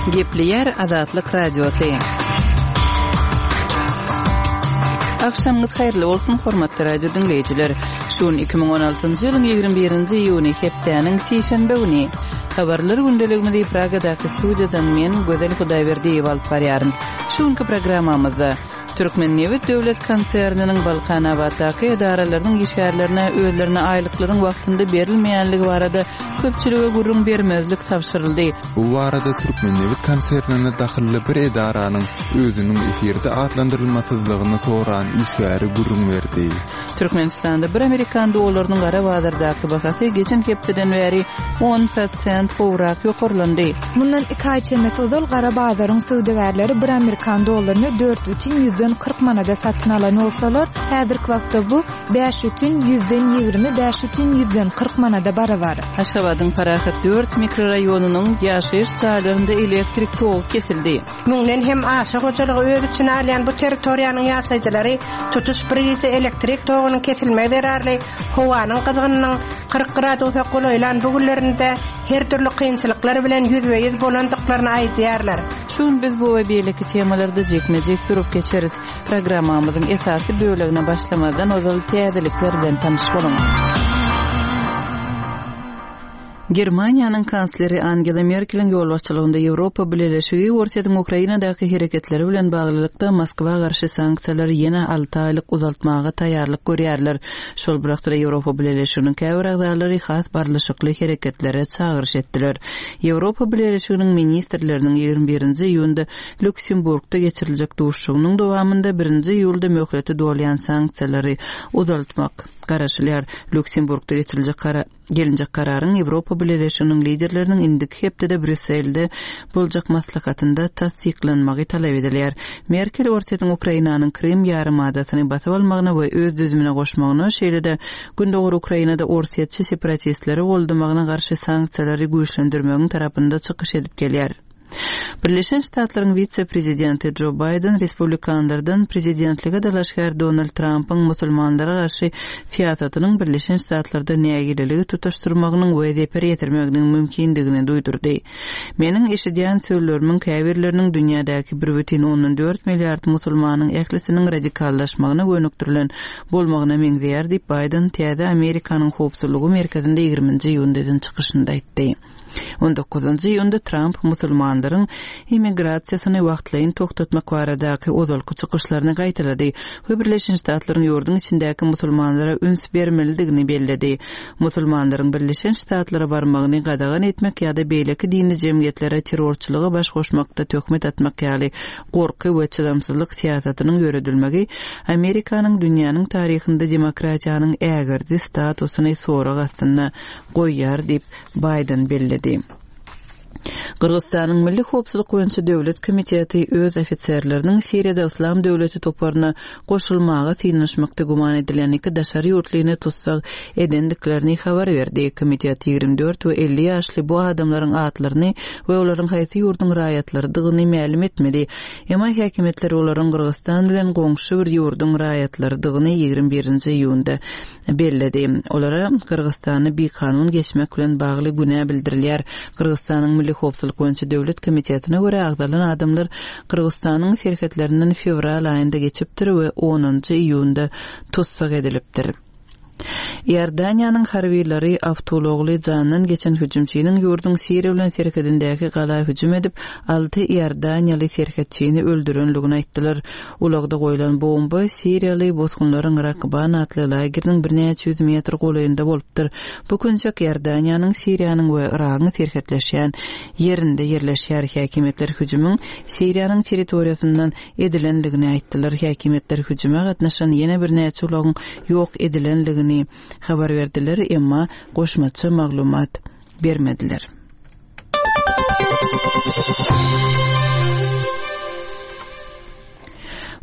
Gepleýär Azatlyk Radiosy. Agşamyňyz haýyrly bolsun, hormatly radio diňleýjiler. Şu gün 2016-njy ýylyň 21-nji iýuny, hepdäniň sişenbe güni. Habarlar gündeligimizi Pragadaky studiýadan men, Gözel Hudaýberdiýewa alyp barýaryn. Şu günki programmamyzda Türkmennebit döwlet konserniniň Balkanabatdaky edaralarynyň işgärlerine özlerine aýlyklaryň wagtynda berilmeýänligi barada köpçülige gürrüň bermezlik tabşyryldy. Bu barada Türkmennebit konsernine dahylly bir edaranyň özüniň efirde atlandyrylmasyzlygyny soran işgäri gürrüň berdi. Türkmenistanda bir amerikan dollarynyň gara bazardaky bahasy geçen hepdeden bäri on prosent gowrak ýokarlandy. Mundan iki aý çemesi ozal gara bazaryň söwdagärleri bir amerikan dollaryny 4,40 manada satyn alan bolsalar, häzirki wagtda bu 5,20 5,40 manada barabar. Aşgabadyň Parahat dört mikroraýonynyň ýaşaýyş jaýlarynda elektrik togy kesildi. Müňden hem aşa hojalygy öz içine alýan bu territoriýanyň ýaşaýjylary tutuş bir gije elektrik togunyň kesilmegi zerarly howanyň gyzgynynyň 40 gradusa golaýlan bu günlerinde her dürli kynçylyklar bilen ýüzbe-ýüz bolandyklaryny aýdýarlar. Şu gün biz bu we beýleki temalarda jikme-jik durup geçeris. Programmamyzyň esasy bölegine başlamazdan ozal täzelikler bilen tanyş boluň. Germaniýanyň kansleri Angela Merkeliň ýolbaşçylygynda Ýewropa Bileleşigi Orsýetiň Ukrainadaky hereketleri bilen baglylykda Moskwa garşy sanksiýalary ýene alty aýlyk uzaltmaga taýýarlyk görýärler. Şol bir wagtda Ýewropa Bileleşiginiň käbir agzalary has barlyşykly hereketlere çagyryş etdiler. Ýewropa Bileleşiginiň ministrleriniň 21-nji iýunda Lýuksemburgda geçiriljek duşuşygynyň dowamynda birinji iýulda möhleti dolýan sanksiýalary uzaltmak garaşylýar. Lýuksemburgda geçiriljek Gelinjek kararyň Ýewropa Bileleşiginiň liderleriniň indiki hepdede Brýusselde boljak maslahatynda tassyklanmagy talap edilýär. Merkel Orsýetiň Ukrainanyň Krym ýarymadasyny basyp almagyna we öz düzümine goşmagyna, şeýle-de gündogar Ukrainada orsýetçi separatistleri goldamagyna garşy sanksiýalary güýçlendirmegiň tarapynda çykyş edip gelýär. Birleşen Ştatlaryň wise-prezidenti Jo Baýden respublikanlardan prezidentlige dalaşgär Donald Trampyň musulmanlara garşy syýasatynyň Birleşen Ştatlarda nägileligi tutaşdyrmagynyň we zeper ýetirmeginiň mümkindigini duýdurdy. Meniň eşidýän sözlerimiň käbirleriniň dünýädäki bir bütin ondan dört milliard musulmanyň ählisiniň radikallaşmagyna gönükdirilen bolmagyna meňzeýär diýip, Baýden täze Amerikanyň howpsuzlygy merkezinde ýigriminji iýunda eden çykyşynda aýtdy. On dokuzynjy iýunda Tramp musulmanlaryň immigrasiýasyny wagtlaýyn togtatmak baradaky ozalky çykyşlaryny gaýtalady we Birleşen Ştatlaryň ýurduň içindäki musulmanlara üns bermelidigini belledi. Musulmanlaryň Birleşen Ştatlara barmagyny gadagan etmek ýa-da beýleki dini jemgyýetlere terrorçylyga baş goşmakda töhmet atmak ýaly gorky we çydamsyzlyk syýasatynyň ýöredilmegi Amerikanyň dünýäniň taryhynda demokratiýanyň ägirdi statusyny sorag astynda goýýar diýip, Baýden belledi. Gyrgyzystanyň Milli howpsuzlyk boýunça döwlet komiteti öz ofiserleriniň Siriýada Yslam döwleti toparyna goşulmaga synanyşmakda güman edilýän iki daşary ýurtlyny tussag edendiklerini habar berdi. Komitet 24 we 50 ýaşly bu adamlaryň atlaryny we olaryň haýsy ýurduň raýatlarydygyny mälim etmedi. Emma häkimiýetler olaryň Gyrgyzystan bilen goňşy bir ýurduň raýatlarydygyny 21-nji iýunda belledi. Olara Gyrgyzystana bikanun geçmek bilen bagly günä bildirilýär. Gyrgyzystanyň Milli howpsuzlyk boýunça döwlet komitetine görä, agzalan adamlar Gyrgyzystanyň serhetlerinden fewral aýynda geçipdir we onunjy iýunda tussag edilipdir. Iordaniýanyň harbylary awtoulagly jandan geçen hüjümçiniň ýurduň Siriýa bilen serhedindäki gala hüjüm edip, alty iordaniýaly serhetçini öldürenligini aýtdylar. Ulagda goýlan bomba siriýaly bosgunlaryň Rakban atly lageriniň birnäçe ýüz metr golaýynda bolupdyr. Bu künjek Iordaniýanyň, Siriýanyň we Yragyň serhetleşýän ýerinde ýerleşýär. Häkimiýetler hüjümiň Siriýanyň territoriýasyndan edilendigini aýtdylar. Häkimiýetler hüjüme gatnaşan ýene birnäçe ulagyň ýok edilendigini habar berdiler, emma goşmaça maglumat bermediler.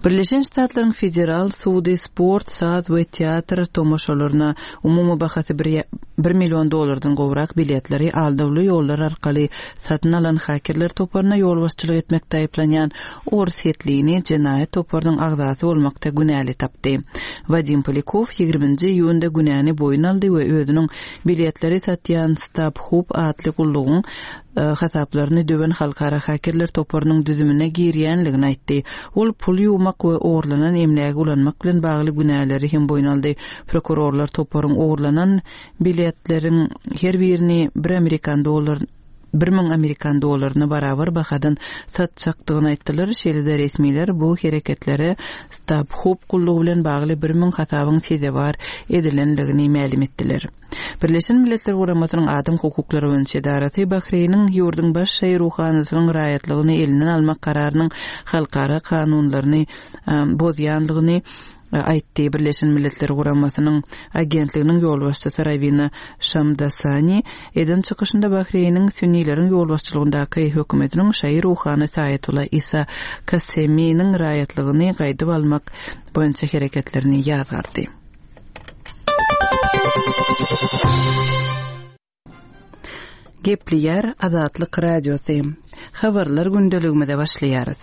Birleşen Ştatlaryň Federal sudy sport, saz we teatr tomaşalaryna umumy bahasy bir. bir million dollardan gowrak biletleri aldawly ýollar arkaly satyn alan hakerler toparyna ýolbaşçylyk etmekde aýyplanýan orsýetlini jenaýat toparynyň agzasy bolmakda günäli tapdy. Wadim Polýakow ýigriminji iýunda günäni boýun aldy we özüniň biletleri satýan StubHub atly gullugyň hasaplaryny döwen halkara hakerler toparynyň düzümine girýänligini aýtdy. Ol pul ýuwmak we ogurlanan emlägi ulanmak bilen bagly günäleri hem boýun aldy. Prokurorlar toparyň ogurlanan biletleriň her birini bir amerikan dollar 1000 amerikan dollaryna barabar bahadan satjakdygyny aýtdylar. Şeýle-de resmiler bu hereketlere StubHub gullugy bilen bagly 1000 hasabyň sezewar edilendigini mälim etdiler. Birleşen Milletler Guramasynyň Adam hukuklary boýunça edarasy Bahreýniň ýurduň baş şaýy ruhanysynyň raýatlygyny elinden almak kararynyň halkara kanunlaryny bozýandygyny aýtdy. Birleşen Milletler Guramasynyň agentliginiň ýolbaşçysy Rawina Şamdasani eden çykyşynda Bahreýniň sünnileriň ýolbaşçylygyndaky hökümetiniň şaýy ruhany Saýatullah Isa Kaseminiň raýatlygyny gaýdyp almak boýunça hereketlerini ýazgardy. Gepleýär Azatlyk Radiosy. Habarlar gündeligimize başlaýarys.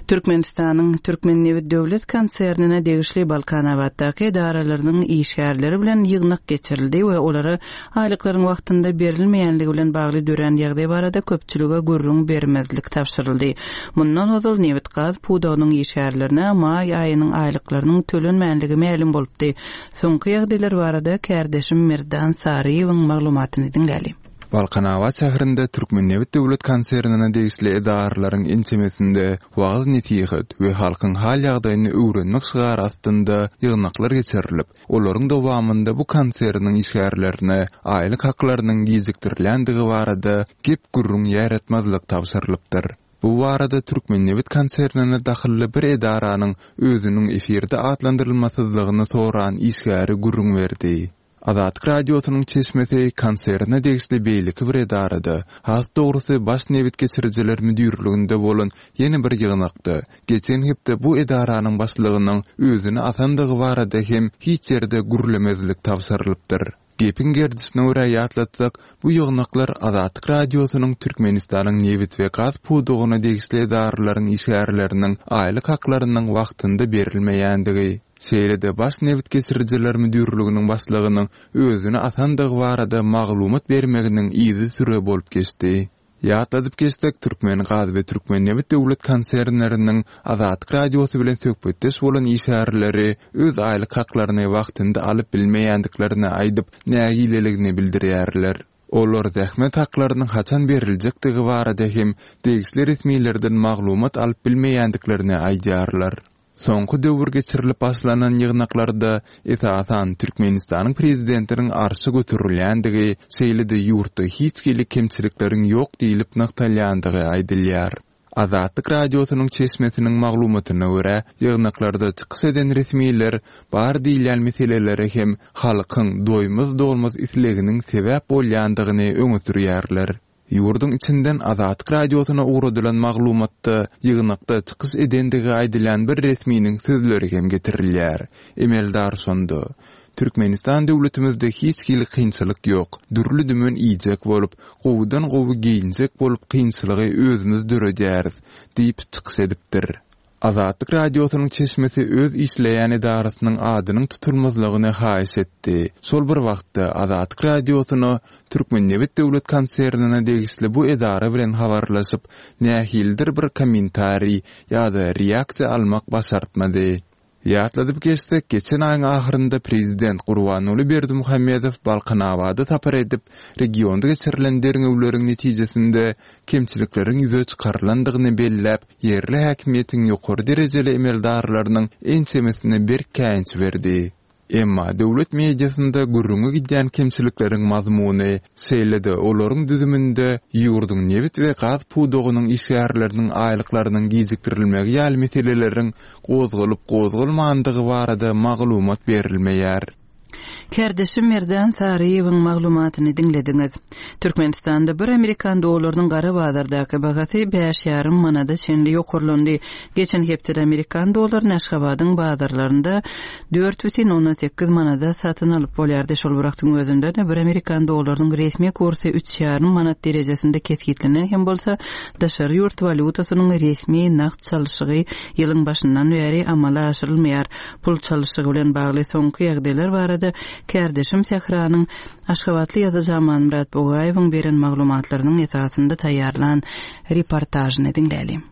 Türkmenistanyň Türkmennebit döwlet konsernine degişli Balkanabatdaky edaralarynyň işgärleri bilen ýygnak geçirildi we olara aýlyklaryň wagtynda berilmeýänligi bilen bagly dörän ýagdaý barada köpçülige gürrüň bermezlik tabşyryldy. Mundan ozal nebit-gaz pudagynyň işgärlerine maý aýynyň aýlyklarynyň tölenmänligi mälim bolupdy. Soňky ýagdaýlar barada kärdeşim Merdan Saryýewiň maglumatyny diňläli. Balkanabat şäherinde Türkmennebit döwlet konsernine degişli edaralaryň ençemesinde wagyz-nesihat we halkyň hal-ýagdaýyny öwrenmek şygary astynda ýygnaklar geçirilip, Olaryň dowamynda bu konserniň işgärlerine aýlyk haklarynyň gijikdirilýändigi barada gep-gürrüň ýaýratmazlyk tabşyrylypdyr. Bu barada Türkmennebit konsernine dahylly bir edaranyň özüniň efirde atlandyrylmasyzlygyny soran işgäri gürrüň berdi. Azatlyk Radiosynyň çeşmesi konserne degişli beýleki bir edarada, has dogrusy Baş nebit geçirijiler müdirliginde bolan ýene bir ýygnakda, Geçen hepde bu edaranyň başlygynyň özüni asandygy barada hem hiç ýerde gürlemezlik tabşyrylypdyr. Gepiň gerdişine görä ýatlatsak, bu ýygnaklar Azatlyk Radiosynyň Türkmenistanyň nebit we gaz pudagyna degişli edaralaryň işgärleriniň aýlyk haklarynyň wagtynda berilmeýändigi, şeýle-de Baş nebit geçirijiler müdirliginiň başlygynyň özüni asandygy barada maglumat bermeginiň yzysüre bolup geçdi. Ýatladyp geçsek, Türkmengaz we Türkmennebit döwlet konsernleriniň Azatlyk Radiosy bilen söhbetdeş bolan işgärleri öz aýlyk haklaryny wagtynda alyp bilmeýändiklerini aýdyp, nägileligini bildirýärler. Olar zähmet haklarynyň haçan beriljekdigi barada hem degişli resmilerden maglumat alyp bilmeýändiklerini aýdýarlar. Soňky döwür geçirilip başlanan ýygnaklarda, esasan, Türkmenistanyň prezidentiniň arşa göterilýändigi, şeýle-de ýurtda hiç hili kemçilikleriň ýok diýlip nygtalýandygy aýdylýar. Azatlyk Radiosynyň çeşmesiniň maglumatyna görä, ýygnaklarda çykyş eden resmiler bar diýilýän meselelere hem halkyň doýmaz-dolmaz isleginiň sebäp bolýandygyny öňe sürýärler. Ýurduň içinden Azatlyk Radiosyna ugradylan maglumatda ýygnakda çykyş edendigi aýdylýan bir resminiň sözleri hem getirilýär. Emeldar şonda, Türkmenistan döwletimizde hiç hili kynçylyk ýok. Dürli-dümen iýjek bolup, gowudan-gowy geýinjek bolup kynçylygy özümiz döredýäris diýip çykyş edipdir. Azatlyk Radiosynyň çeşmesi öz işleýän edarasynyň adynyň tutulmazlygyny haýyş etdi. Şol bir wagtda, Azatlyk Radiosyna Türkmennebit döwlet konsernine degişli bu edara bilen habarlaşyp, nähilidir bir kommentariý ýa-da reaksiýa almak başartmady. Ýatladyp geçsek, geçen aýyň ahyrynda prezident Gurbanguly Berdimuhamedow Balkanabada sapar edip, regionda geçirilen derňewleriň netijesinde kemçilikleriň ýüze çykarylandygyny belläp, ýerli häkimiýetiň ýokary derejeli emeldarlarynyň ençemesine berk käýinç berdi. Emma döwlet mediasynda gürrüňi gidýän kemçilikleriň mazmuny, şeýle-de olaryň düzüminde ýurduň nebit we gaz pudagynyň işgärleriniň aýlyklarynyň gijikdirilmegi ýaly meseleleriň gozgalyp-gozgalmandygy barada maglumat berilmeýär. Kärdeşim Merdan Saryýewiň maglumatyny diňlediňiz. Türkmenistanda bir amerikan dollarynyň gara bazardaky bahasy bäş ýarym manada çenli ýokarlandy. Geçen hepdede amerikan dollaryny Aşgabadyň bazarlarynda 4,8 manada satyn alyp bolýardy. Şol bir wagtyň özünde-de bir amerikan dollarynyň resmi kursy üç ýarym manat derejesinde kesgitlenen hem bolsa, daşary ýurt walýutasynyň resmi nagt çalşygy ýylyň başyndan bäri amala aşyrylmaýar. Pul çalşygy bilen bagly soňky ýagdaýlar barada kärdeşim Sähranyň aşgabatly ýazyjy Amanmyrat Bugaýewiň beren maglumatlarynyň esasynda taýýarlan reportažyny diňläliň.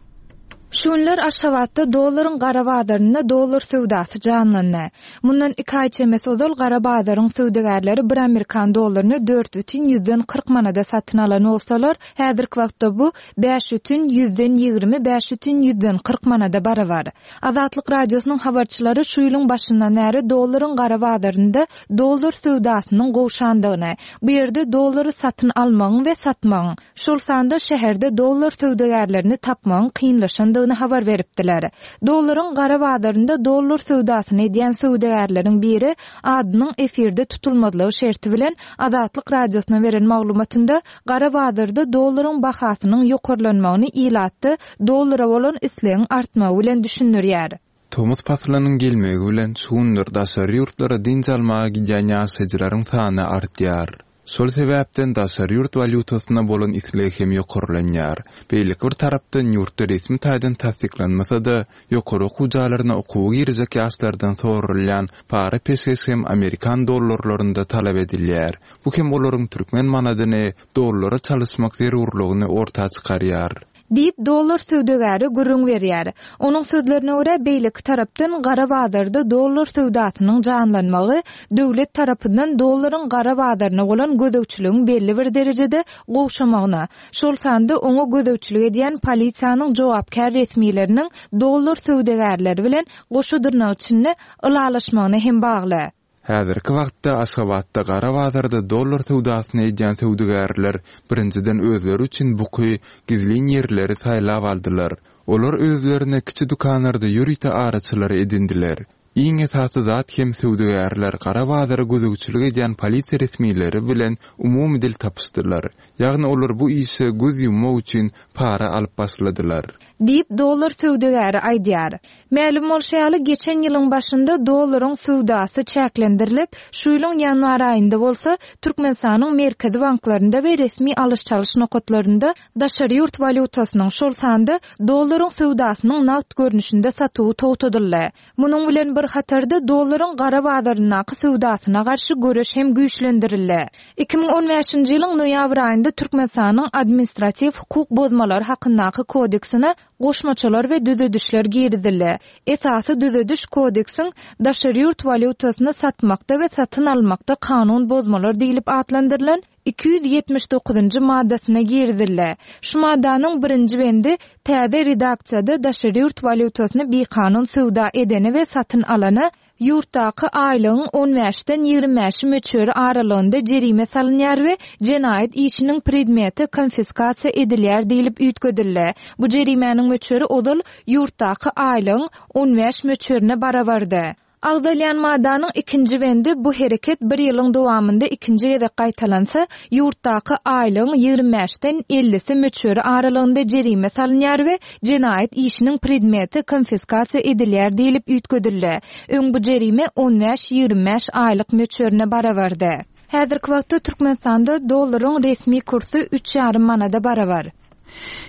Şu günler Aşgabatda dollaryň gara bazarynda dollar söwdasy janlandy. Mundan iki aý çemesi ozal gara bazaryň söwdagärleri bir amerikan dollaryny dört bütin ýüzden 40 manada satyn alan bolsalar, häzirki wagtda bu bäş bütin ýüzden 25 bütin ýüzden 40 manada barabar. Azatlyk Radiosynyň habarçylary şu ýylyň başyndan bäri dollaryň gara bazarynda dollar söwdasynyň gowşandygyny, bu ýerde dollary satyn almagyň we satmagyň, şol sanda şäherde dollar söwdagärlerini tapmagyň kynlaşandygyny habar beripdiler. Dollaryň gara bazarynda dollar söwdasyny edýän söwdagärleriň biri adynyň efirde tutulmazlygy şerti bilen Azatlyk Radiosyna beren maglumatynda gara bazarda dollaryň bahasynyň ýokarlanmagyny ilatda dollara bolan islegiň artmagy bilen düşündirýär. Tomus paslynyň gelmegi bilen şu günler daşary ýurtlara dynç almaga gidýän ýaşaýjylaryň sany artýar. Şol sebäpden daşary ýurt walýutasyna bolan isleg hem ýokarlanýar. Beýleki bir tarapdan ýurtda resmi taýdan tassyklanmasa-da, ýokary okuw jaýlaryna okuwa girjek ýaşlardan soralýan para-peşgeş hem amerikan dollarlarynda talap edilýär. Bu hem olaryň türkmen manadyny dollara çalyşmak zerurlygyny orta çykarýar. Diýip, dollar söwdagäri gürrüň berýär. Onuň sözlerine görä, beýleki tarapdan gara bazarda dollar söwdasynyň janlanmagy döwlet tarapyndan dollaryň gara bazaryna bolan gözegçiligiň belli bir derejede gowşamagyna, şol sanda oňa gözegçilik edýän polisiýanyň jogapkär resmileriniň dollar söwdagärleri bilen goşa dyrnak içinde ylalaşmagyna hem bagly. Häzirki wagtda Aşgabatda gara bazarda dollar söwdasyny edýän söwdagärler birinjiden özleri üçin buky, gizlin ýerleri saýlap aldylar. Olar özlerine kiçi dükanlarda ýörite araçylary edindiler. Iň esasy zat hem söwdagärler gara bazara gözegçilik edýän polisiýa resmileri bilen umumy dil tapyşdylar. Ýagny olar bu işe göz ýummak üçin para alyp başladylar. Diýip, dollar söwdagäri aýdýar. Mälim bolşy ýaly, geçen ýylyň başynda dollaryň söwdasy çäklendirilip, şu ýylyň ýanwar aýynda bolsa, Türkmenistanyň merkezi banklarynda we resmi alyş-çalyş nokatlarynda daşary ýurt walýutasynyň, şol sanda dollaryň söwdasynyň nagt görnüşinde satuwy togtadyldy. Munuň bilen bir hatarda, dollaryň gara bazaryndaky söwdasyna garşy göreş hem güýçlendirildi. 2015-nji ýylyň noýabr aýynda Türkmenistanyň Administratiw hukuk bozmalary hakyndaky kodeksine goşmaçalar we düzedişler girizildi. Esasy düzediş kodeksiň Daşary ýurt walýutasyny satmakda we satyn almakda kanun bozmalar diýlip atlandyrylan 279-njy maddasyna girizildi. Şu maddanyň birinji bendi täze redaksiýada daşary ýurt walýutasyny bikanun söwda edene we satyn alana Ýurtdaky aýlygyň on bäşden ýigrimi bäşi möçberi aralygynda jerime salynýar we jenaýat işiniň predmeti konfiskasiýa edilýär diýlip üýtgedildi. Bu jerimäniň möçberi ozal ýurtdaky aýlygyň on bäş möçberine barabardy. Agzalýan maddanyň ikinji bendi bu hereket bir ýylyň dowamynda ikinji gezek gaýtalansa, ýurtdaky aýlygyň ýigrimi bäşden ellisi möçberi aralygynda jerime salynýar we jenaýat işiniň predmeti konfiskasiýa edilýär diýlip üýtgedildi. Öň bu jerime on bäş-ýigrimi bäş aýlyk möçberine barabardy. Häzirki wagtda Türkmenistanda dollaryň resmi kursy üç ýarym manada barabar.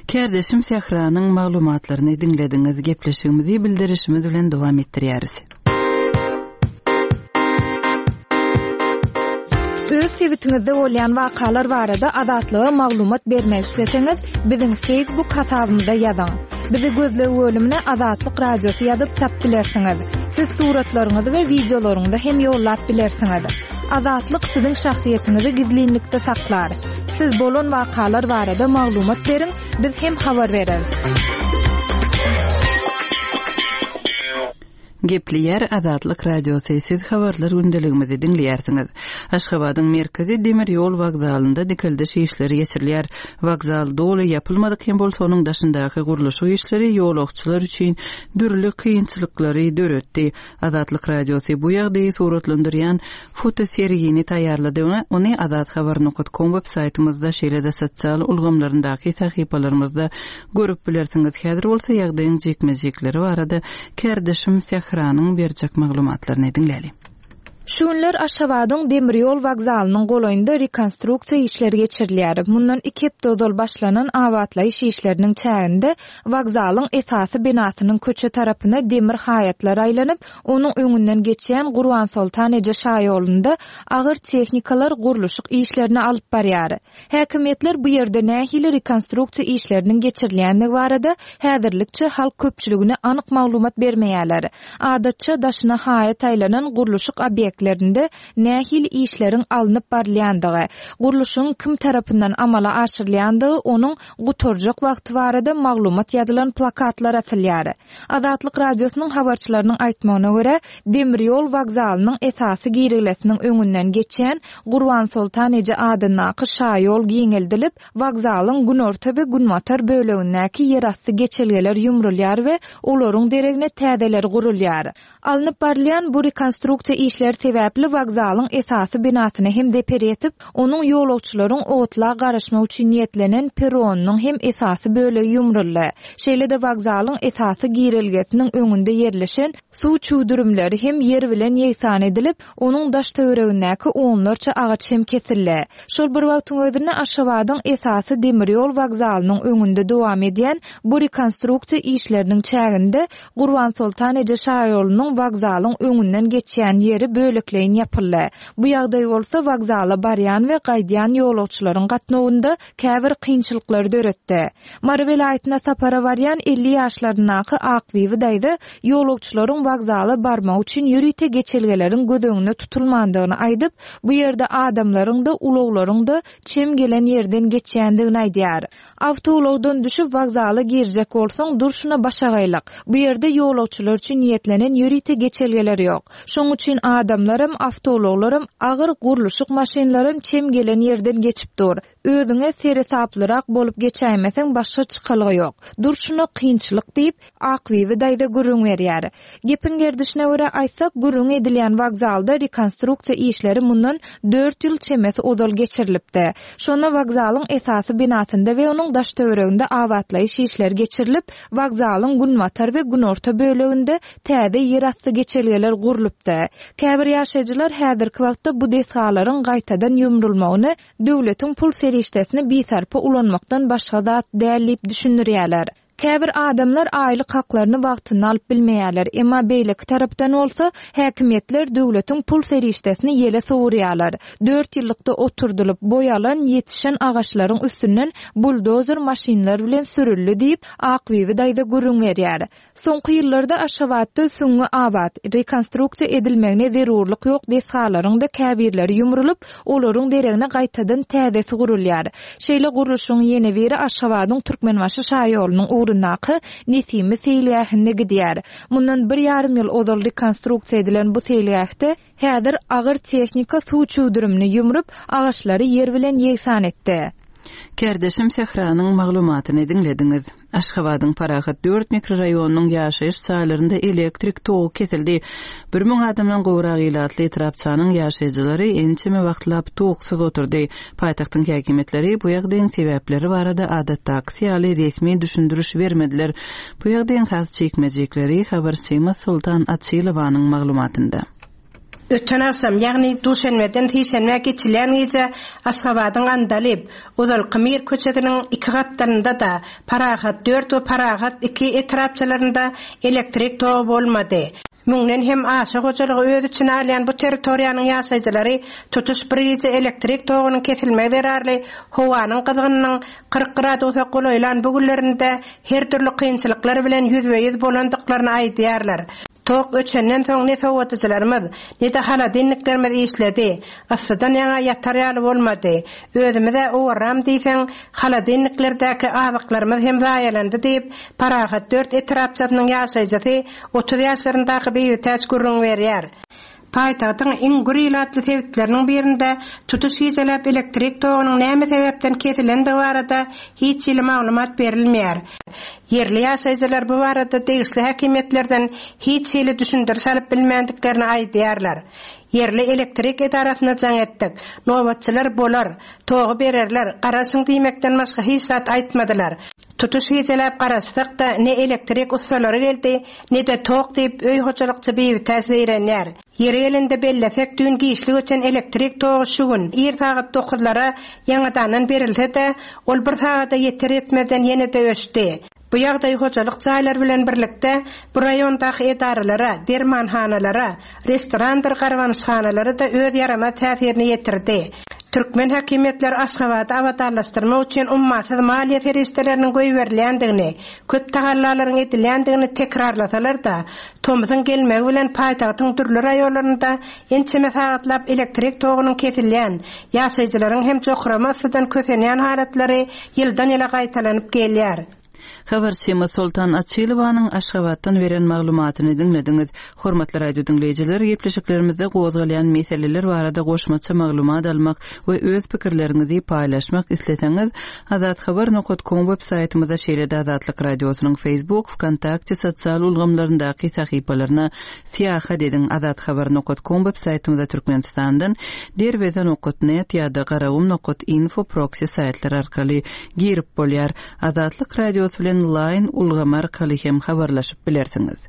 Kärdeşim Sähranyň maglumatlaryny diňlediňiz. Gepleşigimizi bildirişimiz bilen dowam etdirýäris. Öz sebitiňizde bolýan wakalar barada Azatlyga maglumat bermek isleseňiz, biziň Facebook hasabymyza ýazyň. Bizi gözleg bölümine Azatlyk Radiosy ýazyp tap bilersiňiz. Siz suratlaryňyzy we wideolaryňyzy hem ýollap bilersiňiz. Azatlyk siziň şahsyýetiňizi gizlinlikde saklar. Siz bolan wakalar barada maglumat beriň, biz hem habar bereris. Gepleýär Azatlyk Radiosy, siz habarlar gündeligimizi diňleýärsiňiz. Aşgabadyň merkezi demir ýol wokzalynda dikeldiş işleri geçirilýär. Wokzal doly ýapylmadyk hem bolsa, onuň daşyndaky gurluşyk işleri ýolagçylar üçin dürli kynçylyklary döretdi. Azatlyk Radiosy bu ýagdaýy suratlandyrýan fotosergini taýýarlady we ony azathabar nokat kom web saýtymyzda, şeýle-de sosial ulgamlaryndaky sahypalarymyzda görüp bilersiňiz. Häzir bolsa ýagdaýyň jikme-jikleri barada kärdeşim Sähranyň berjek maglumatlaryny diňläli. Şu günler Aşgabadyň demir ýol wokzalynyň golaýynda rekonstruksiýa işleri geçirilýär. Mundan iki hepde ozal başlanan abatlaýyş işleriniň çäginde wokzalyň esasy binasynyň köçe tarapyna demir haýatlar aýlanyp, onuň öňünden geçýän Gurbansoltan eje şaýolunda agyr tehnikalar gurluşyk işlerini alyp barýar. Häkimiýetler bu ýerde nähili rekonstruksiýa işleriniň geçirilýändigi barada häzirlikçe halk köpçüligine anyk maglumat bermeýärler. Adatça, daşyna haýat aýlanan gurluşyk obýektlerinde nähili işleriň alnyp barylýandygy, gurluşygyň kim tarapyndan amala aşyrylýandygy, onuň gutarjak wagty barada maglumat ýazylan plakatlar asylýar. Azatlyk Radiosynyň habarçylarynyň aýtmagyna görä, demir ýol wokzalynyň esasy girelgesiniň öňünden geçýän Gurbansoltan eje adyndaky şaýol giňeldilip, wokzalyň günorta we günbatar bölegindäki ýerasty geçelgeler ýumrulýar we olaryň deregine täzeleri gurulýar. Alnyp barylýan bu rekonstruksiýa işleri sebäpli wokzalyň esasy binasyna hem zeper ýetip, onuň ýolagçylaryň otla garaşmak üçin niýetlenen perronynyň hem esasy bölegi ýumruldy. Şeýle-de wokzalyň esasy girelgesiniň öňünde ýerleşen suw çüwdürimleri hem ýer bilen ýegsan edilip, onuň daş-töweregindäki onlarça agaç hem kesildi. Şol bir wagtyň özünde Aşgabadyň esasy demir ýol wokzalynyň öňünde dowam edýän bu rekonstruksiýa işleriniň çäginde Gurbansoltan eje şaýolunyň wokzalyň öňünden geçýän ýeri bölekleýin ýapyldy. Bu ýagdaý bolsa wokzala barýan we gaýdýan ýolagçylaryň gatnawynda käbir kynçylyklary döretdi. Mary welaýatyna sapara barýan 50 ýaşlaryndaky Akbibi daýza ýolagçylaryň wokzala barmagy üçin ýörite geçelgeleriň göz öňünde tutulmandygyny aýdyp, bu ýerde adamlaryň-da, ulaglaryň-da çem gelen ýerden geçýändigini aýdýar. Awtoulagdan düşüp wokzala girjek bolsaň, durşuna başagaýlyk. Bu ýerde ýolagçylar üçin niýetlenen ýörite geçelgeler ýok. Şoň üçin adamlaram, awtoulaglaram, agyr gurluşyk maşynlaram çem gelen ýerden geçip dur. Özüňe seresaplyrak bolup geçäýmeseň başga çykalga ýok. Durşuna kynçylyk diýip, Akbibi daýza gürrüň berýär. Gepiň gerdişine görä aýtsak, gürrüňi edilýän wokzalda rekonstruksiýa işleri mundan dört ýyl çemesi ozal geçirilipdi. Şonda wokzalyň esasy binasynda we onuň daş-töwereginde abatlaýyş işleri geçirilip, wokzalyň günbatar we günorta böleginde täze ýerasty geçelgeler gurlupdy. Käbir ýaşaýjylar häzirki wagtda bu desgalaryň gaýtadan ýumrulmagyny döwletiň pul serişdesini bisarpa ulanmakdan başga zat däl diýip düşündirýärler. Käbir adamlar aýlyk haklaryny wagtynda alyp bilmeýärler, emma beýleki tarapdan bolsa, häkimiýetler döwletiň pul serişdesini ýele sowurýarlar. Dört ýyllykda oturdylyp, boý alan, ýetişen agaçlaryň üstünden buldozer maşynlar bilen sürüldi diýip, Akbibi daýza gürrüň berýär. Soňky ýyllarda Aşgabatda süňňi abat, rekonstruksiýa edilmegine zerurlyk ýok desgalaryň-da käbirleri ýumrulyp, olaryň deregine gaýtadan täzesi gurulýar. Şeýle gurluşygyň ýene biri Aşgabadyň Türkmenbaşy şaýolunyň ugrundaky Nesimi seýilgähinde gidýär. Mundan bir ýarym ýyl ozal rekonstruksiýa edilen bu seýilgähde häzir agyr tehnika suw çüwdürimini ýumrup, agaçlary ýer bilen ýegsan etdi. Kärdeşim Sähranyň maglumatyny diňlediňiz. Aşgabadyň Parahat dört mikroraýonynyň ýaşaýyş jaýlarynda elektrik togy kesildi. 1000 adamdan gowrak ilatly etrapçanyň ýaşaýjylary ençeme wagtlap toksuz oturdy. Paýtagtyň häkimiýetleri bu ýagdaýyň sebäpleri barada adatdakysy ýaly resmi düşündiriş bermediler. Bu ýagdaýyň has jikme-jikleri habarçymyz Soltan Açylowanyň maglumatynda. Öten agşam, ýagny duşenbeden sişenbä geçilýän gije Aşgabadyň Andalyp, ozalky Mir köçesiniň iki gapdalynda-da, Parahat dört we Parahat iki etrapçalarynda elektrik togy bolmady. Müňden hem aşa hojalygy öz içine alýan bu territoriýanyň ýaşaýjylary tutuş bir gije elektrik togunyň kesilmegi zerarly howanyň gyzgynynyň 40 gradusa golaýlan bu günlerinde her dürli kynçylyklar bilen ýüzbe-ýüz bolandyklaryny aýdýarlar. Tok öçenden soň ne sowadyjylarymyz, ne-de holodilniklerimiz işledi. Yssydan ýaňa ýatar ýaly bolmady. Özümiz-ä owarram diýseň, holodilniklerdäki azyklarymyz hem zaýalandy diýip, Parahat dört etrapçasynyň ýaşaýjysy, 30 ýaşlaryndaky Bibitäç gürrüň berýär. Paýtagtyň iň gür ilatly sebitleriniň birinde tutuş gijeläp elektrik togunyň näme sebäpden kesilendigi barada hiç hili maglumat berilmeýär. Ýerli ýaşaýjylar bu barada degişli häkimiýetlerden hiç hili düşündiriş alyp bilmändiklerini aýdýarlar. Ýerli elektrik edarasyna jaň etdik. Nobatçylar bolar, togy bererler, garaşyň diýmekden başga hiç zat aýtmadylar. Tutuş gijeläp garaşsak-da, ne elektrik ussalary geldi, ne-de tok diýip, öý hojalykçy Bibitäç zeýrenýär. Ýeri gelende bellesek, düýn giçlik öçen elektrik togy şu gün, ir sagat dokuzlara ýaňadandan berilse-de, ol bir sagada ýeter-ýetmezden ýene-de öçdi. Bu ýagdaý hojalyk jaýlary bilen birlikde, bu raýondaky edaralara, dermanhanalara, restorandyr garbanyşhanalara-da öz ýaramaz täsirini ýetirdi. Türkmen häkimiýetleri Aşgabady abadanlaşdyrmak üçin ummasyz maliýe serişdeleriniň goýberilýändigini, köp tagallalaryň edilýändigini tekrarlasalar-da, tomsuň gelmegi bilen paýtagtyň dürli raýonlarynda ençeme sagatlap elektrik togunyň kesilýän, ýaşaýjylaryň hem jokrama yssydan kösenýän halatlary ýyldan-ýyla gaýtalanyp gelýär. Habarçymyz Soltan Açylowanyň Aşgabatdan beren maglumatyny diňlediňiz. Hormatly radio diňleýjiler, gepleşiklerimizde gozgalýan meseleler barada goşmaça maglumat almak we öz pikirleriňizi paýlaşmak isleseňiz, azathabar nokat kom web saýtymyza şeýle-de Azatlyk Radiosynyň Facebook, Wkontakte sosial ulgamlaryndaky sahypalaryna syýahat ediň, azathabar nokat kom web saýtymyza Türkmenistandan derweze nokat net ýa-da garagum nokat info proksi saýtlary arkaly girip bolýar. Azatlyk Radiosy bilen Line ulgamy arkaly hem habarlaşyp bilersiňiz.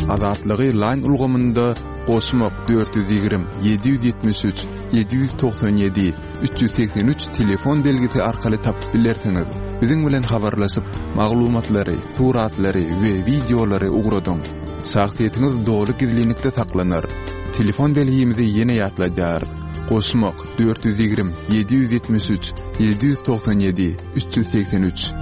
Azatlygy Line ulgamynda goşmak 420 773 797 383 telefon belgisi arkaly tapyp bilersiňiz. Biziň bilen habarlaşyp, maglumatlary, suratlary we wideolary ugradyň. Şahsyýetiňiz doly gizlinlikde saklanar. Telefon belgimizi ýene ýatladýarys. Goşmak 420 773 797 383.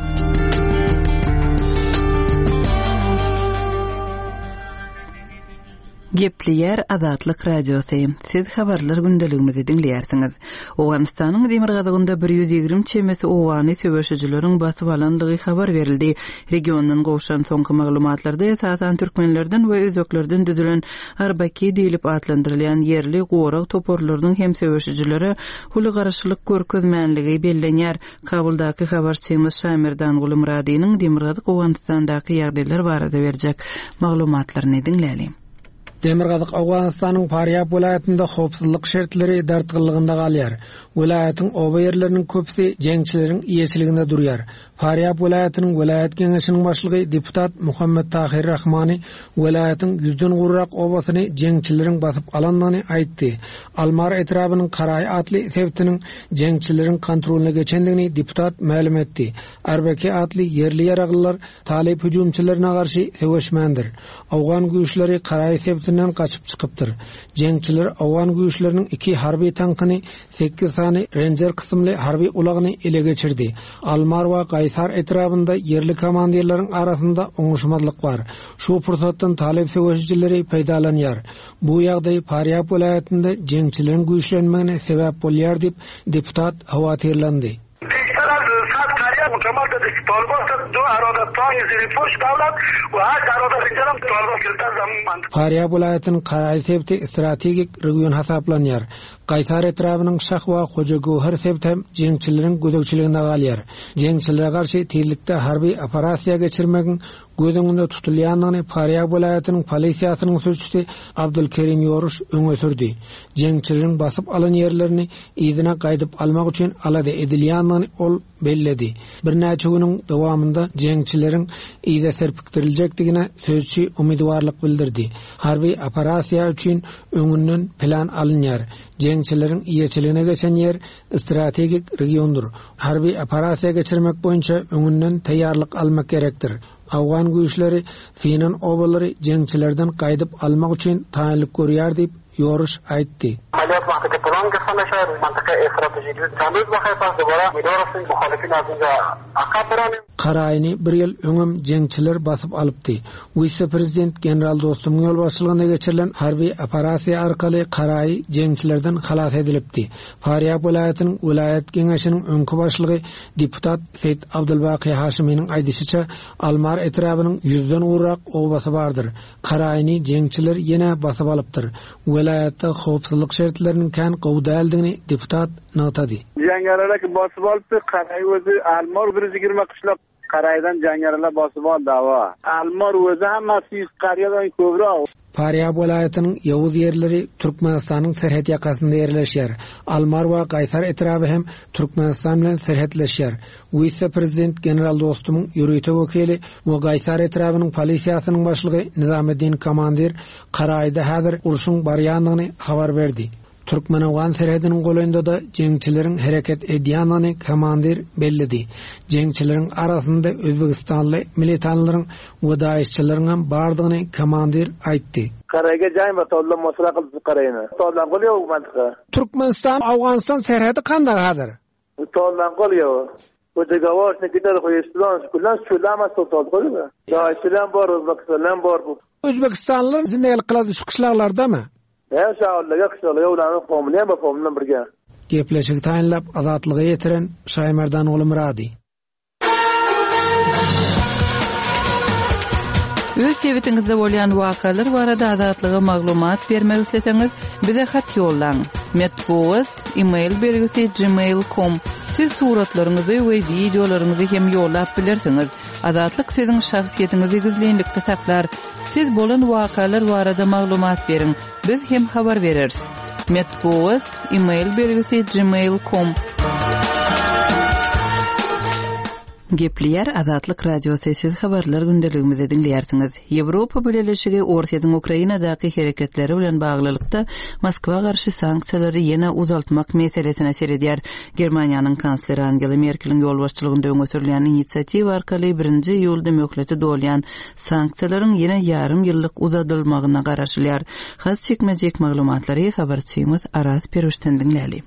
Gepleýär Azatlyk Radiosy, Siz habarlar gündeligimizi diňleýärsiňiz. Owganystanyň demirgazygynda 120 çemesi obany söweşijileriň basyp alandygy habar berildi. Regiondan gowşan soňky maglumatlarda esasan türkmenlerden we özbeklerden düzülen Arbaki diýlip atlandyrylýan ýerli gorag toparlarynyň hem söweşijilere uly garşylyk görkezmänligi bellenýär. Kabuldaky habarçymyz Şamerdanguly Myradynyň Demirgazyk Owganystandaky ýagdaýlar barada berjek maglumatlaryny diňläliň. Demirgazyk Owganystanyň Farýab welaýatynda howpsuzlyk şertleri dartgynlygynda galýar. Welaýatyň oba ýerleriniň köpüsi jeňçileriň eýeçiliginde durýar. Farýab welaýatynyň welaýat geňeşiniň başlygy deputat Muhammet Tahyr Rahmany welaýatyň ýüzden gowrak obasyny jeňçileriň basyp alandygyny aýtdy. Almar etrabynyň Karaý atly sebitiniň jeňçileriň kontrolyna geçendigini deputat mälim etdi. Arbeki atly ýerli ýaraglylar talyp hüjümçilerine garşy söweşmändir. Owgan güýçleri Karaý sebitinden gaçyp çykypdyr. Jeňçiler owgan güýçleriniň iki harby tankyny sekiz sany Renjer kysymly harby ulagyny ele geçirdi. Almar we Gaýsar etrabynda ýerli komandirleriň arasynda oňuşmazlyk bar. Şu pursatdan talyp söweşijileri peýdalanýar. Bu ýagdaý Farýab welaýatynda jeňçileriň güýçlenmegine sebäp bolýar diýip, deputat howatyrlandy. Farýab welaýatynyň Karaý sebiti strategik region hasaplanýar. Gaýsar etrabynyň Şah we Hojagöwher sebiti hem jeňçileriň gözegçiliginde galýar. Jeňçilere garşy tizlikde harby operasiýa geçirmegiň göz öňünde tutulýandygyny Farýab welaýatynyň polisiýasynyň sülçüsi Abdulkerim Ýoruş öňe sürdi. Jeňçileriň basyp alan ýerlerini yzyna gaýdyp almak üçin alada edilýändigini ol belledi. Birnäçe günüň dowamynda jeňçileriň yza serpikdiriljekdigine sözçi umydybarlyk bildirdi. Harby operasiýa üçin öňünden plan alynýar. Jeňçileriň eýeçiligine geçen ýer strategik regiondyr. Harby operasiýa geçirmek boýunça öňünden taýýarlyk almak gerekdir. Owgan güýçleri synan obalary jeňçilerden gaýdyp almak üçin taýynlyk görýär diýip, Ýoruş aýtdy. Karaýyny bir ýyl öňem jeňçiler basyp alypdy. Wise-prezident general Dostumyň ýolbaşçylygynda geçirilen harby operasiýa arkaly Karaýy jeňçilerden halas edilipdi. Farýab welaýatynyň welaýat geňeşiniň öňki başlygy deputat Seýit Abdulbaky Haşymynyň aýdyşyça, Almar etrabynyň ýüzden gowrak obasy bardyr. Karaýyny jeňçiler ýene basyp alypdyr. Welaýatda howpsuzlyk şertleriniň kän gowy däldigini deputat nygtady. Jeňňerler basyp alypdy, Karaý özi Almar bir 20 gyşlak Karaýdan jeňňerler basyp aldy awa. Almar özi hammasi ýüz karýadan köbräk. Farýab welaýatynyň ýowuz ýerleri Türkmenistanyň serhet ýakasynda ýerleşýär. Almar we Gaýsar etraby hem Türkmenistan bilen serhetleşýär. Wise-prezident general Dostumyň ýörite wekili we Gaýsar etrabynyň polisiýasynyň başlygy Nizameddin Komandir Karaýda häzir urşuň barýandygyny habar berdi. Türkmen-owgan serhediniň golaýynda-da jeňçileriň hereket edýändigini komandir belledi. Jeňçileriň arasynda özbegistanly militanlaryň we daişçileriňem bardygyny komandir aýtdy. Karaýga jaý bar tollam mosra gylyp karaýna. Tollam gol ýok mantyka. Türkmenistan Owganystan serhedi kandak hazir? Tollam gol ýok. Bu dogoworny gider hoýeslan kulan şulama tol gol. Daişçiler bor özbekistanlar bor bu. Özbekistanlylar zindelik kylady şu kyşlaglardamy? Hä şaolla ýakşyly ýowlanyň homly hem homly birge. Gepleşigi taýynlap Azatlyga ýetiren Şaýmerdanguly Myrady. Öz sebitiňizde bolýan wakalar barada Azatlyga maglumat bermek isleseňiz, bize hat ýollaň. Metbugat, e-mail belgisi gmail com. Siz suratlaryňyzy we wideolaryňyzy hem ýollap bilersiňiz. Azatlyk siziň şahsyýetiňizi gizlinlikde saklar. Siz bolan wakalar barada maglumat beriň, biz hem habar bereris. Metbugat, e-mail belgisi gmail com. Gepleýär Azatlyk Radiosy, siz habarlar gündeligimizi diňleýärsiňiz. Ýewropa Bileleşigi Orsýetiň Ukrainadaky hereketleri bilen baglylykda Moskwa garşy sanksiýalary ýene uzaltmak meselesine seredýär. Germaniýanyň kansleri Angela Merkeliň ýolbaşçylygynda öňe sürülýän inisiatiwa arkaly birinji iýulda möhleti dolýan sanksiýalaryň ýene ýarym ýyllyk uzadylmagyna garaşylýar. Has jikme-jik maglumatlary habarçymyz Araz Perwişden diňläli.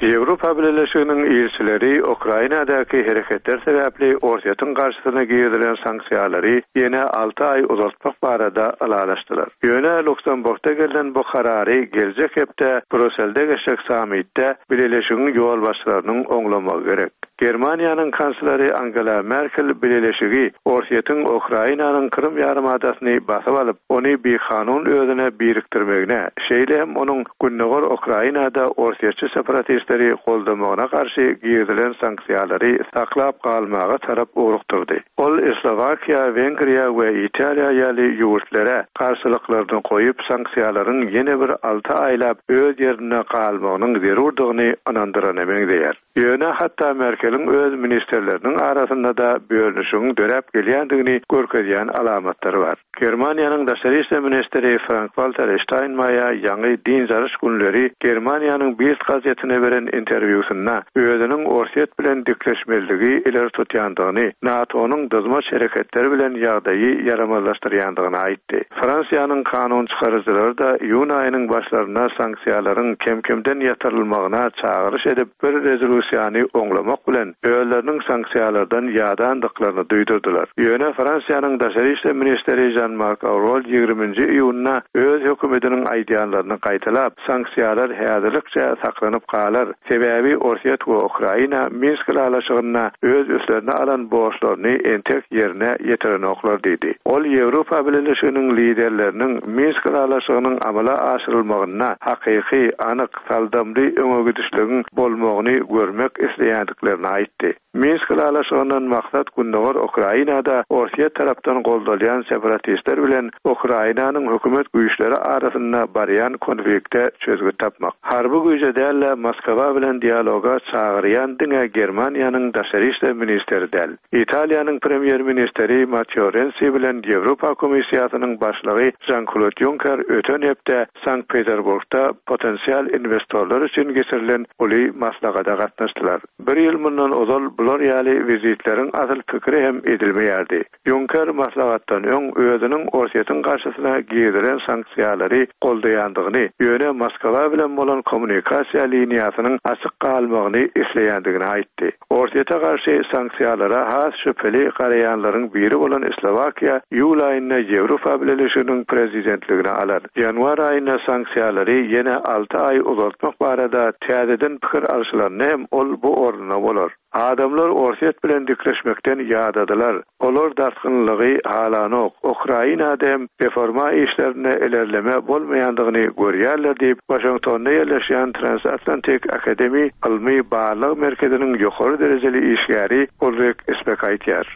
Ýewropa Bileleşiginiň ilçileri Ukrainadaky hereketler sebäpli Orsýetiň garşysyna girizilen sanksiýalary ýene alty aý uzaltmak barada ylalaşdylar. Ýöne Luksemburgda gelnen bu karary geljek hepde Brýusselde geçjek sammitde Bileleşigiň ýolbaşçylarynyň oňlamagy gerek. Germaniýanyň kansleri Angela Merkel Bileleşigi Orsýetiň Ukrainanyň Krym ýarymadasyny basyp alyp, ony bikanun özüne birikdirmegine, şeýle hem onuň gündogar Ukrainada orsýetçi separatistleri goldamagyna garşy girizilen sanksiýalary saklap galmaga tarap ugrukdyrdy. Ol Slowakiýa, Wengriýa we Italiýa ýaly ýurtlere garşylyklaryny goýup, sanksiýalaryň ýene bir alty aýlap öz ýerinde galmagynyň zerurdygyny ynandyrana meňzeýär. Ýöne hatda Merkeliň öz ministrleriniň arasynda-da bölünişigiň döräp gelýändigini görkezýän alamatlar bar. Germaniýanyň daşary işler ministri Frank-Walter Ştaýnmaýer ýaňy dynç alyş günleri Germaniýanyň Bild gazetine beren interwýusynda özüniň Orsýet bilen dikleşmezligi ileri tutýandygyny, NATO-nyň dyzmaç hereketleri bilen ýagdaýy ýaramazlaşdyrýandygyny aýtdy. Fransiýanyň kanun çykaryjylary-da iýun aýynyň başlarynda sanksiýalaryň kem-kemden ýatyrylmagyna çagyryş edip, bir rezolýusiýany oňlamak bilen, özleriniň sanksiýalardan ýadandyklaryny duýdurdylar. Ýöne Fransiýanyň daşary işler ministri Žan-Mark Aurol ýigriminji iýunda öz hökümetiniň aýdýanlaryny gaýtalap, sanksiýalar häzirlikçe saklanyp galar, sebäbi Orsýet we Ukraina Minsk ylalaşygynda öz üstlerine alan borçlaryny entek ýerine ýetirenoklar diýdi. Ol Ýewropa Bileleşiginiň liderleriniň Minsk ylalaşygynyň amala aşyrylmagynda hakyky, anyk, saldamly öňegidişligiň bolmagyny görmek isleýändiklerini aýtdy. Minsk ylalaşygyndan maksat gündogar Ukrainada Orsýet tarapdan goldalýan separatistler bilen Ukrainanyň hökümet güýçleri arasynda barýan konflikte çözgüt tapmak. Harby güýje däl-de, Moskwa. Moskwa bilen dialoga çagyrýan diňe Germaniýanyň daşary işler ministri däl. Italiýanyň premýer-ministri Matteo Rensi bilen Ýewropa Komissiýasynyň başlygy Žan-Klod Ýunker öten hepde Sankt-Peterburgda potensial inwestorlar üçin geçirilen uly maslahata gatnaşdylar. Bir ýyl mundan ozal bular ýaly wizitleriň asyl pikiri hem edilmeýärdi. Ýunker maslahatdan öň özüniň Orsýetiň garşysyna girizilen sanksiýalary goldaýandygyny, ýöne Moskwa bilen bolan kommunikasiýa liniýasynyň açyk galmagyny isleýändigini aýtdy. Orsýete garşy sanksiýalara has şübheli garaýanlaryň biri bolan Slowakiýa iýul aýynda Ýewropa Bileleşiginiň prezidentligini alar. Ýanwar aýynda sanksiýalary ýene alty aý uzaltmak barada täzeden pikir alşylanda hem ol bu ornunda bolar. Adamlar Orsýet bilen dikleşmekden ýadadylar. Olar dartgynlygy halanok. Ukrainada hem reforma işlerinde ilerleme bolmaýandygyny görýärler diýip, Waşingtonda ýerleşýän Transatlantic Academy ylmy-barlag merkeziniň ýokary derejeli işgäri Ulrik Spek aýdýar.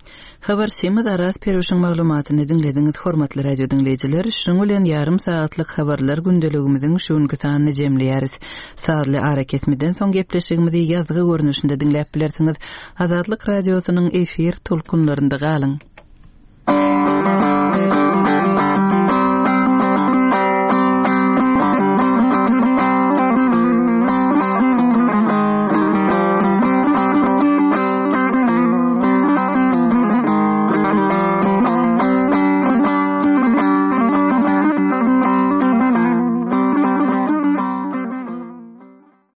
Habarçymyz Araz Perwişiň maglumatyny diňlediňiz, hormatly radio diňleýjiler, şunuň bilen ýarym sagatlyk habarlar gündeligimiziň şu günki sanyny jemleýäris. Sazly arakesmeden soň gepleşigimizi ýazgy görnüşinde diňläp bilersiňiz. Azatlyk Radiosynyň efir tolkunlarynda galyň!